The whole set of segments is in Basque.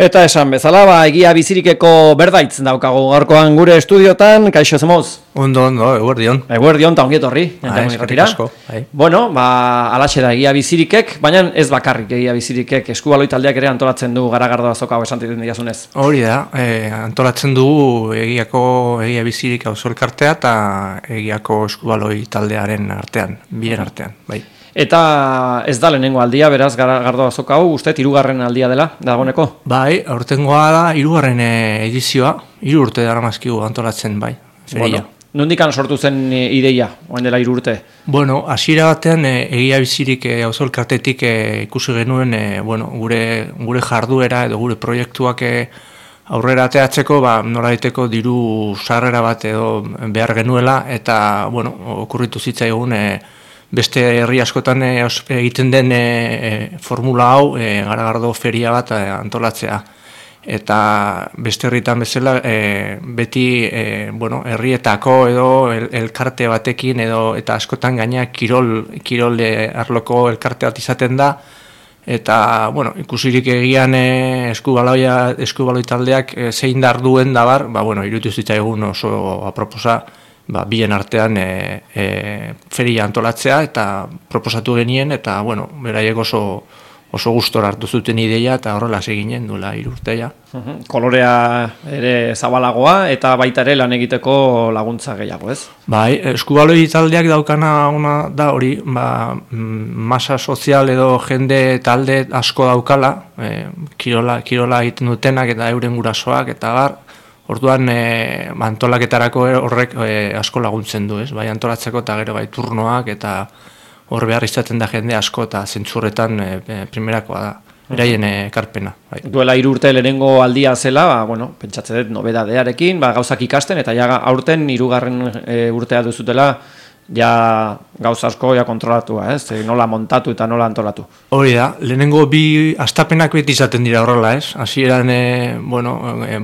Eta esan bezala, egia bizirikeko berdaitz daukagu gaurkoan gure estudiotan, kaixo zemoz? Ondo, eguerdion. Eguerdion, eta ongietorri. Bueno, alaxe da egia bizirikek, baina ez bakarrik egia bizirikek, eskubaloi taldeak ere antolatzen du Garagardo azoka hau esan diazunez. Hori da, antolatzen dugu egia bizirik auzo elkartea eta egiako eskubaloi taldearen artean, bien artean, bai. Eta ez da lehenengo aldia, beraz, Garagardo azoka hau, uste, 3. aldia dela, dagoeneko? Bai, aurtengoa da, 3. edizioa, 3 urte daramazkigu antolatzen, bai, feria. Bueno, nondikan sortu zen ideia, oen dela 3 urte? Bueno, hasiera batean, egia bizirik auzo elkartetik ikusi genuen, gure jarduera edo gure proiektuak aurrera ateatzeko, nola daiteko diru sarrera bat edo behar genuela, eta, okurritu zitzaigun, beste herri askotan egiten den formula hau, Garagardo feria bat antolatzea. Eta beste herritan bezala, beti herrietako edo elkarte batekin edo eta askotan gaina kirol arloko elkarte bat izaten da. Eta, ikusirik egian eskubaloi taldeak zein dar duen dabar, iruditu zitzaigun oso aproposa, bien artean feria antolatzea eta proposatu genien eta beraiek oso gustora hartu zuten ideia eta horrela seginen duela 3 urte ja. Kolorea ere zabalagoa eta baita ere lan egiteko laguntza gehiago, ez? Bai, eskubaloi taldeak daukana ona da hori, masa sozial edo jende talde asko daukala, kirola egiten dutenak eta euren gurasoak eta bar. Orduan antolaketarako horrek asko laguntzen du, ez? Bai antolatzeko eta gero bai turnoak eta hor behar izaten da jende asko eta zentzurretan primerakoa da, beraien ekarpena. Bai. Duela 3 urte lehenengo aldia zela, pentsatze dut nobedadearekin, gauzak ikasten eta ja aurten 3. urtea duzutela ja gauza asko kontrolatua, ez? Nola montatu eta nola antolatu. Hori da, lehenengo 2 astapenak beti izaten dira horrela, ez? Hasieran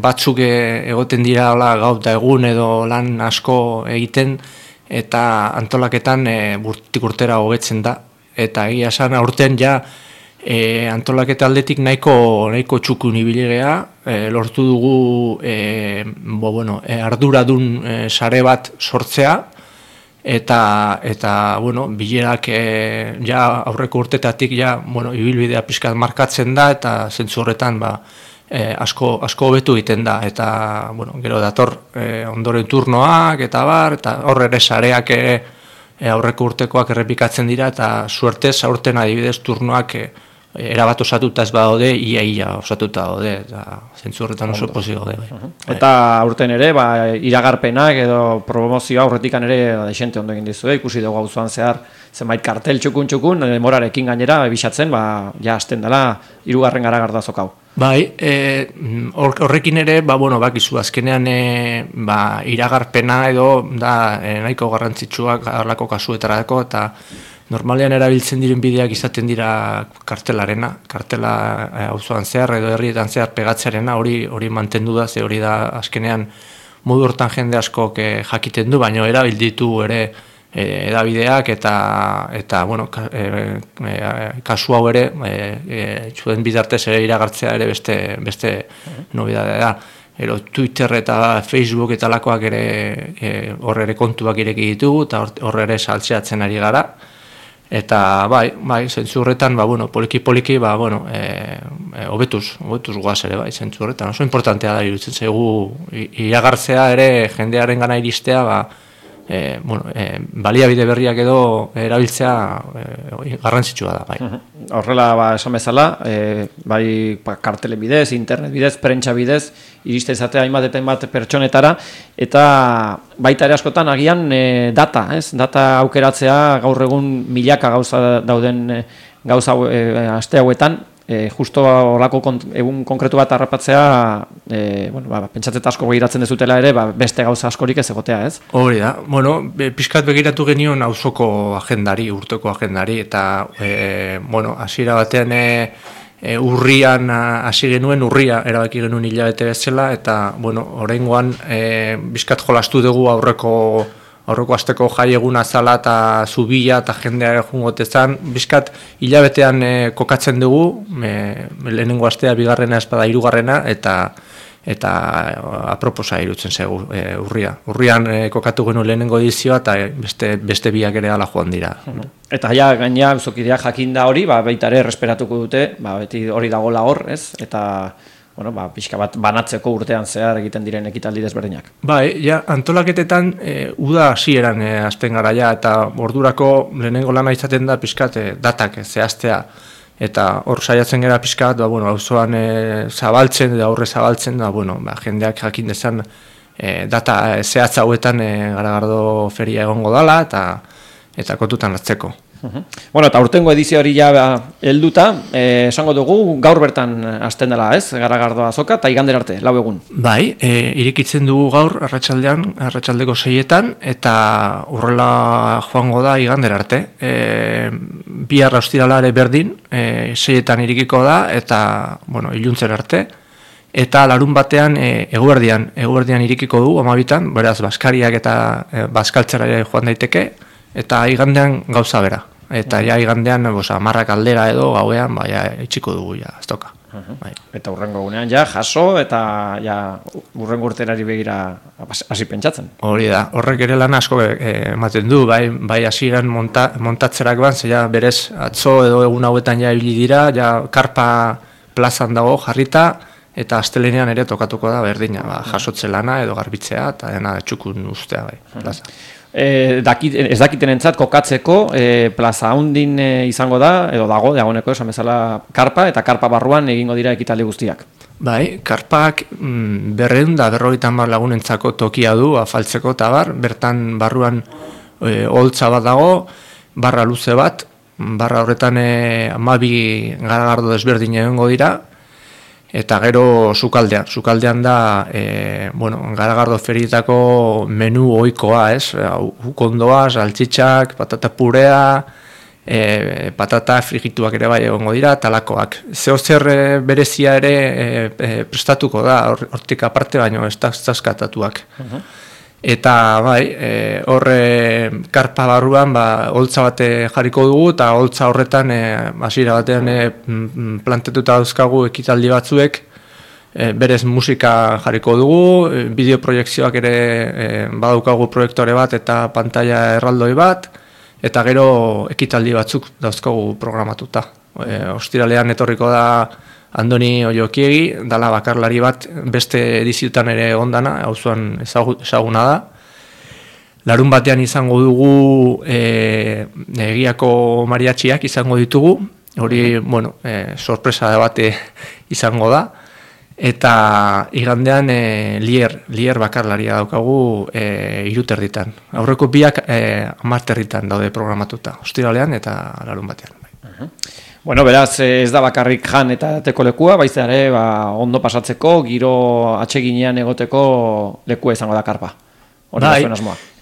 batzuk egoten dira gaur eta egun edo lan asko egiten eta antolaketan urtetik urtera hobetzen da. Eta egia esan aurten ja antolaketa aldetik nahiko txukun ibili gea, lortu dugu arduradun sare bat sortzea, eta bilerak ja aurreko urtetatik ibilbidea pixkat markatzen da eta zentzu horretan asko hobetu egiten da eta gero dator ondoren turnoak eta bar eta hor ere sareak aurreko urtekoak errepikatzen dira eta suertez aurten adibidez turnoak erabat osatuta ez badaude, ia osatuta daude, eta zentzu horretan oso pozik daude. Eta aurten ere, iragarpenak edo promozioa aurretikan ere desente ondo egin dizue, ikusi dugu auzoan zehar zenbait kartel txukun, demorarekin gainera, bisatzen, ja hasten dela 3. Garagardo azoka hau. Bai, horrekin ere, bakizu, azkenean iragarpena edo da nahiko garrantzitsuak harlako kasuetarako, eta normalean erabiltzen diren bideak izaten dira kartela auzoan zehar edo herrietan zehar pegatzearena, hori mantendu da, ze hori da azkenean modu hortan jende askok jakiten du, baina erabilditu ere edabideak eta kasu hau ere zuen bidartez ere iragartzea ere beste nobedadea da. Twitter eta Facebook eta lakoak ere hor ere kontuak ireki ditugu eta hor ere saltzeatzen ari gara. Eta bai, zentzu horretan, poliki-poliki, hobetuz guaz ere, zentzu horretan. Oso importantea da, iruditzen zaigu, iragartzea ere, jendearen gana iristea, baliabide berriak edo erabiltzea garrantzitsua da, bai. Horrela, esan bezala, bai kartelen bidez, internet bidez, prentsa bidez, iriste izatea hainbat pertsonetara, eta baita ere askotan agian data aukeratzea gaur egun milaka gauza dauden gauza aste hauetan, justo horako egun konkretu bat harrapatzea, pentsatzet asko begiratzen dezutela ere, beste gauza askorik ez egotea, ez? Hori da, pixkat begiratu genion auzoko agendari, urteko agendari, eta hasiera batean urrian hasi genuen, urria erabaki genuen hilabete bezala, eta oraingoan pixkat jolastu dugu aurreko asteko jai eguna zala eta zubila eta jendea jungotezan, bizkat hilabetean kokatzen dugu, lehenengo astea, bigarrena espada, hirugarrena, eta aproposa irutzen zegu urrian kokatu genu lehenengo edizioa eta beste biak ere ala joan dira. Eta ja gaina auzokideak jakinda hori, baita ere erresperatuko dute, beti hori dagoela hor, ez? Eta bueno, pixka bat banatzeko urtean zehar egiten diren ekitaldi desberdinak. Bai, ja, antolaketetan uda hasieran hasten gara ja, eta ordurako lehenengo lana izaten da pixkat datak zehaztea. Eta hor saiatzen gara pixkat, auzoan zabaltzen, eta aurre zabaltzen, jendeak jakin dezan data zehatz hauetan Garagardo feria egongo dala, eta kontutan hartzeko. Bueno, eta urtengo edizio hori ja helduta, esango dugu gaur bertan hasten dela, ez? Garagardo azoka eta igandera arte, 4 egun. Bai, irikitzen dugu gaur arratsaldeko 6etan, eta horrela joango da igandera arte. Bihar ostiralare berdin, 6etan irikiko da, eta, iluntzen arte. Eta larun batean eguerdian irikiko du, 12etan, beraz, baskariak eta baskaltzera joan daiteke, eta igandean gauza bera. Eta ja igandean 10 aldera edo gauean itxiko dugu ja astoka. Eta hurrengo egunean ja jaso eta ja hurrengo urterari begira hasi pentsatzen. Hori da. Horrek ere lan asko ematen du, bai hasieran montatzerakoan ze ja berez atzo edo egun hauetan ja ibili dira, ja karpa plazan dago jarrita eta astelenean ere tokatuko da berdina, jasotze lana edo garbitzea eta dena txukun ustea bai, plaza. Ez dakitenentzat kokatzeko plaza handin izango da, edo dagoeneko esan bezala karpa, eta karpa barruan egingo dira ekitaldi guztiak. Bai, karpak 250 lagunentzako tokia du, afaltzeko eta bertan barruan holtza bat dago, barra luze bat, barra horretan 12 garagardo desberdin egongo dira, eta gero sukaldean da Garagardo ferietako menu ohikoa, ez? Ukondoa, saltxitxak, patata purea, patata frigituak ere bai egongo dira, talakoak. Zeozer berezia ere prestatuko da, hortik aparte baino ez dazkatatuak. Eta horre karpa barruan holtza bate jarriko dugu, eta holtza horretan hasiera batean plantetuta dauzkagu ekitaldi batzuek, berez musika jarriko dugu, bideoproiekzioak ere badaukagu proiektore bat eta pantalla erraldoi bat, eta gero ekitaldi batzuk dauzkagu programatuta. Ostiralean etorriko da Andoni Oiokiegi, dala bakarlari bat, beste ediziotan ere ondana, auzoan ezaguna da. Larun batean izango dugu Egiako mariatxiak izango ditugu, hori, sorpresa bate izango da. Eta igandean lier bakarlaria daukagu 3 Aurreko biak 10 daude programatuta, ostiralean eta larun batean. Bueno, beraz, ez da bakarrik jan eta teko lekua, baiz ere ondo pasatzeko, giro atseginean egoteko lekua izango da karpa.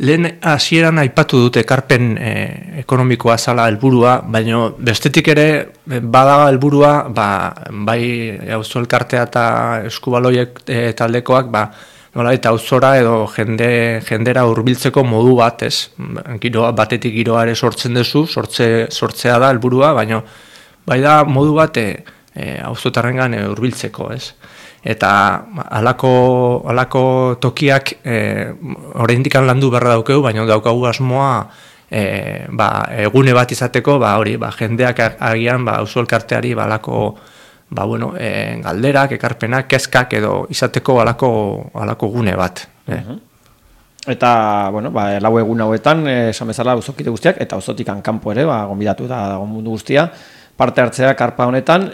Lehen hasieran aipatu dute ekarpen ekonomikoa zala helburua, baina bestetik ere bada helburua, bai auzo elkartea eta eskubaloiek taldekoak, eta auzora edo jendera hurbiltzeko modu bat, ez? Batetik giroa ere sortzen duzu, sortzea da helburua, baina bai da modu bat auzotarrengan hurbiltzeko, ez? Eta halako tokiak oraindik landu beharra daukegu, baina daukagu asmoa egune bat izateko, jendeak agian auzo elkarteari halako galderak, ekarpenak, kezkak edo izateko halako gune bat. Eta, 4 egun hauetan, esan bezala auzokide guztiak, eta auzotik kanpo ere, gonbidatu da mundu guztia, parte hartzea karpa honetan,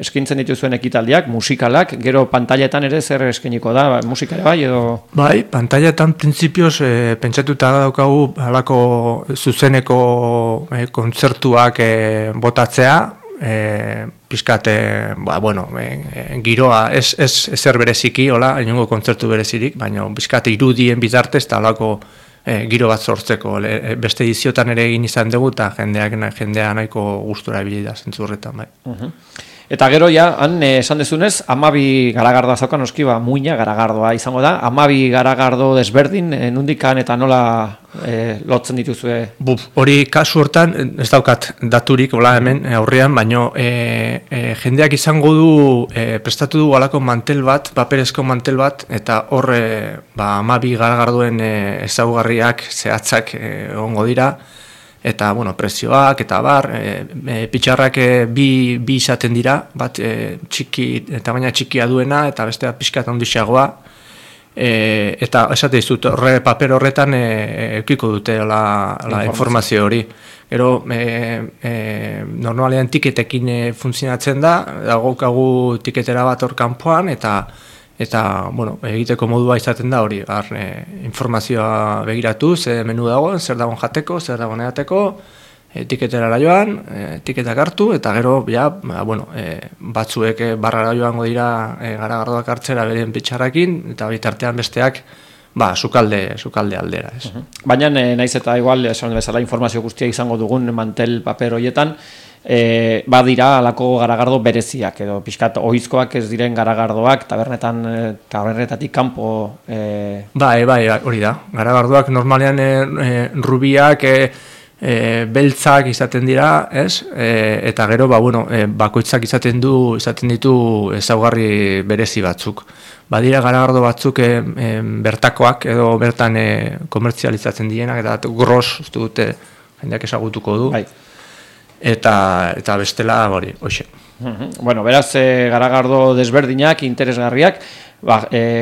eskintzen dituzuen ekitaldiak, musikalak, gero pantailetan ere zer eskeniko da, musika ere bai edo? Bai, pantailetan printzipioz pentsatuta daukagu halako zuzeneko kontzertuak botatzea, pixkat, giroa, ez zer bereziki, inongo kontzertu berezirik, baina pixkat irudien bitartez eta halako giro bat sortzeko. Beste ediziotan ere egin izan dugu eta jendea nahiko gustura ebili da zentzurretan. Eta gero ja, han esan dezunez, 12 garagardoa zauka noski, muina garagardoa izango da, 12 garagardo desberdin, nundikan eta nola lotzen dituzue? Hori kasu hortan, ez daukat daturik, hola hemen aurrean, baino jendeak izango du, prestatu du alako mantel bat, paperezko mantel bat, eta hor 12 garagardoen ezaugarriak, zehatzak egongo dira, eta, prezioak, eta bar, pitxarrak bi izaten dira, bat tamaina txikia duena, eta bestea pixkat handixagoa, eta esate dizut, paper horretan eukiko dute la informazio hori. Gero, normalean tiketekin funtzionatzen da, dagokagu tiketera bat hor kanpoan, eta egiteko modua izaten da hori, informazioa begiratu, ze menu dagoen, zer dagoen jateko, zer dagoen edateko, tiketerara joan, tiketak hartu, eta gero, batzuek barrara joango dira garagardoak hartzera beren pitxarrakin, eta bitartean besteak, sukalde aldera. Baina, naiz eta igual, esan bezala informazio guztia izango dugun mantel paper horietan, badira alako garagardo bereziak, edo pixkat ohizkoak ez diren garagardoak, tabernetatik kanpo... Bai, hori da. Garagardoak normalean rubiak, beltzak izaten dira, ez? Eta gero, bakoitzak izaten ditu ezaugarri berezi batzuk. Badira garagardo batzuk bertakoak, edo bertan komertzializatzen dienak, eta gros, uste dute, jendeak ezagutuko du. Bai. Eta bestela hori, hoxe. Beraz, garagardo desberdinak, interesgarriak,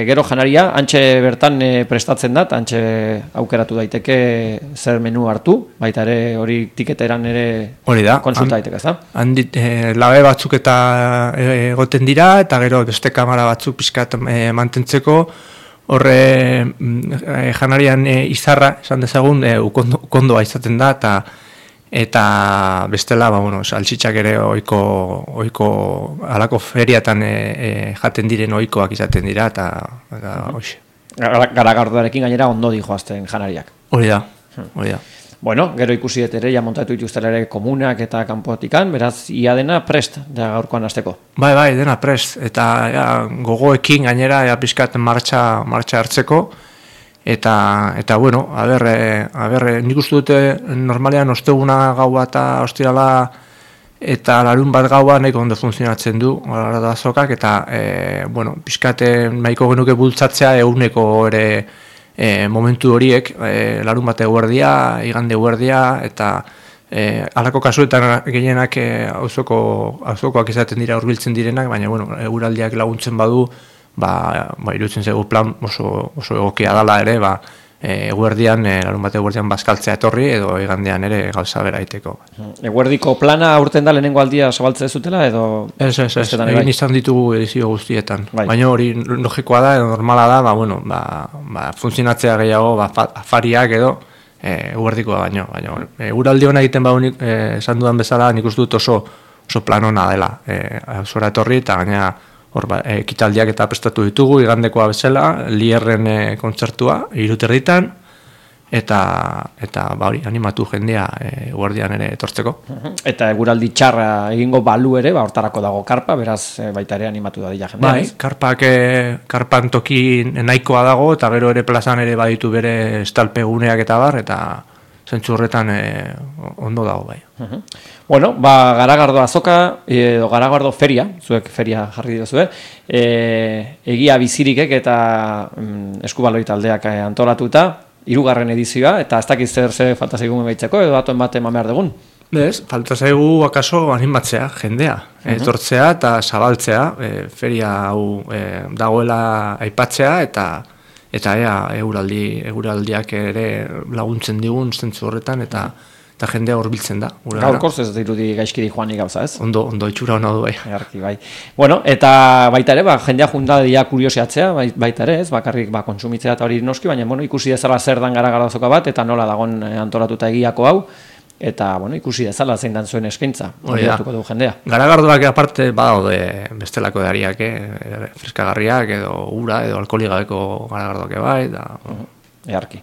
gero janaria, antxe bertan prestatzen da, antxe aukeratu daiteke zer menu hartu, baita ere hori tiketeran ere konsulta daiteke, ez da? Handit, labe batzuk eta egoten dira, eta gero beste kamara batzuk pixkat mantentzeko, horre janarian izarra, esan dezagun, ukondoa izaten da, eta bestela, saltxitxak ere oiko alako feriatan jaten diren oikoak izaten dira, eta hoxe. Garagardoarekin gainera ondo dijoazten janariak. Hori da. Gero ikusi dut ere, montatu dituztela ere komunak eta kanpotikan, beraz, ia dena prest, da gaurkoan hasteko. Bai, dena prest, eta gogoekin gainera, pixkat martxa hartzeko, Eta nik uste dute normalean osteguna gaua eta ostirala eta larun bat gaua nahiko ondo funtzionatzen du gara da azokak, eta pixkate nahiko genuke bultzatzea eguneko ere momentu horiek, larun bat eguerdia, igande eguerdia, eta halako kasuetan gehienak auzokoak izaten dira hurbiltzen direnak, baina eguraldiak laguntzen badu, irutzen zego plan oso egokia dala ere, eguerdian, larun bat eguerdian bazkaltzea etorri, edo igandean ere gauza bera iteko. Eguerdiko plana aurten da lehenengo aldia zabaltzea zutela, edo... Ez, egin izan ditugu edizio guztietan. Baina hori logikoa da, edo normala da, funtzionatzea gehiago, afariak edo, eguerdikoa baino. Eguraldi hona egiten baunik, esan dudan bezala, nik uste dut oso plan hona dela. Zora etorri, eta gaina ekitaldiak eta prestatu ditugu, igandekoa bezala, Lierren kontzertua, 3:00, eta animatu jendea guardian ere etortzeko. Eta eguraldi txarra egingo balu ere, hortarako dago karpa, beraz baita ere animatu da dira jendea. Karpan toki nahikoa dago, eta gero ere plazan ere baditu bere estalpeguneak eta bar, eta zentzu horretan ondo dago bai. Garagardo azoka, edo garagardo feria, zuek feria jarri dira egia bizirikek eta eskubaloi taldeak antolatuta, 3. edizioa, eta ez dakiz zer falta zaigun baitzeko, edo datuen bat eman behar dugun? Bez, falta zaigu akaso animatzea, jendea, etortzea eta zabaltzea, feria hau dagoela aipatzea, eta eguraldiak ere laguntzen digun zentzu horretan, eta jendea horbiltzen da. Gaurkoz ez dirudi gaizkiri joanik gauza, ez? Ondo itxura hona du bai. Bai. Eta baita ere, jendea junta dira kuriosiatzea, baita ere, ez? Bakarrik kontsumitzea eta hori noski, baina ikusi dezala zer dan garagardozoka bat, eta nola dagon antolatuta egiako hau, eta ikusi dezala zein dan zuen eskaintza, hori datuko du jendea. Garagardoak aparte badaude bestelako edariak, freskagarriak, edo ura, edo alkoholigabeko garagardoak bai, da... Earki.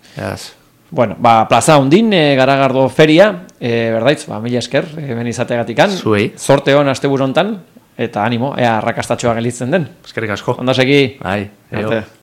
Plaza Hondin, garagardo feria, berdaitz, mila esker, ben izateagatikan. Zuei. Zorte hon asteburu hontan, eta animo, ea arrakastatxoa gelditzen den. Eskerrik asko. Ondo segi. Bai, Arte.